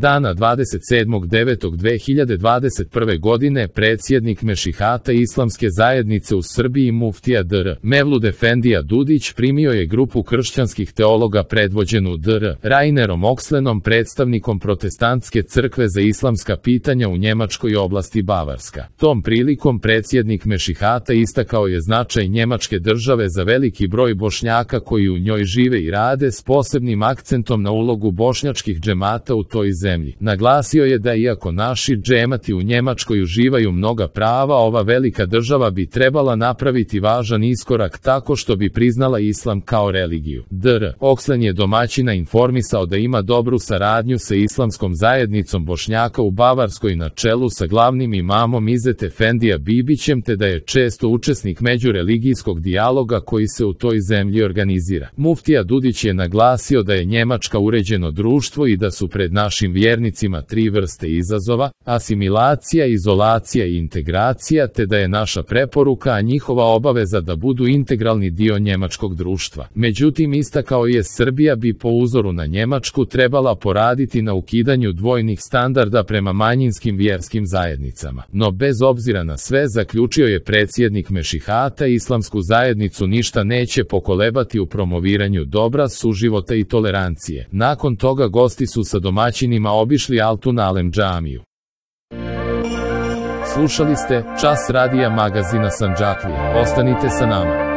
Dana 27.9.2021. godine predsjednik Mešihata Islamske zajednice u Srbiji muftija dr. Mevlud Efendija Dudić primio je grupu kršćanskih teologa predvođenu dr. Rainerom Okslenom, predstavnikom protestantske crkve za islamska pitanja u njemačkoj oblasti Bavarska. Tom prilikom predsjednik Mešihata istakao je značaj Njemačke države za veliki broj Bošnjaka koji u njoj žive i rade, s posebnim akcentom na ulogu bošnjačkih džemata u toj zemlji. Naglasio je da iako naši džemati u Njemačkoj uživaju mnoga prava, ova velika država bi trebala napraviti važan iskorak tako što bi priznala islam kao religiju. Dr. Okslen je domaćina informisao da ima dobru saradnju sa islamskom zajednicom Bošnjaka u Bavarskoj na čelu sa glavnim imamom Izet Efendija Bibićem, te da je često učesnik međureligijskog dijaloga koji se u toj zemlji organizira. Muftija Dudić je naglasio da je Njemačka uređeno društvo i da su pred našim vjernicima tri vrste izazova: asimilacija, izolacija i integracija, te da je naša preporuka, a njihova obaveza da budu integralni dio njemačkog društva. Međutim, istakao je, Srbija bi po uzoru na Njemačku trebala poraditi na ukidanju dvojnih standarda prema manjinskim vjerskim zajednicama. No bez obzira na sve, zaključio je predsjednik Mešihata, islamsku zajednicu ništa neće pokolebati u promoviranju dobra, suživota i tolerancije. Nakon toga gosti su sa domaćinima obišli Altun Alem džamiju. Slušali ste Čas radija magazina Sandžaklija. Ostanite sa nama.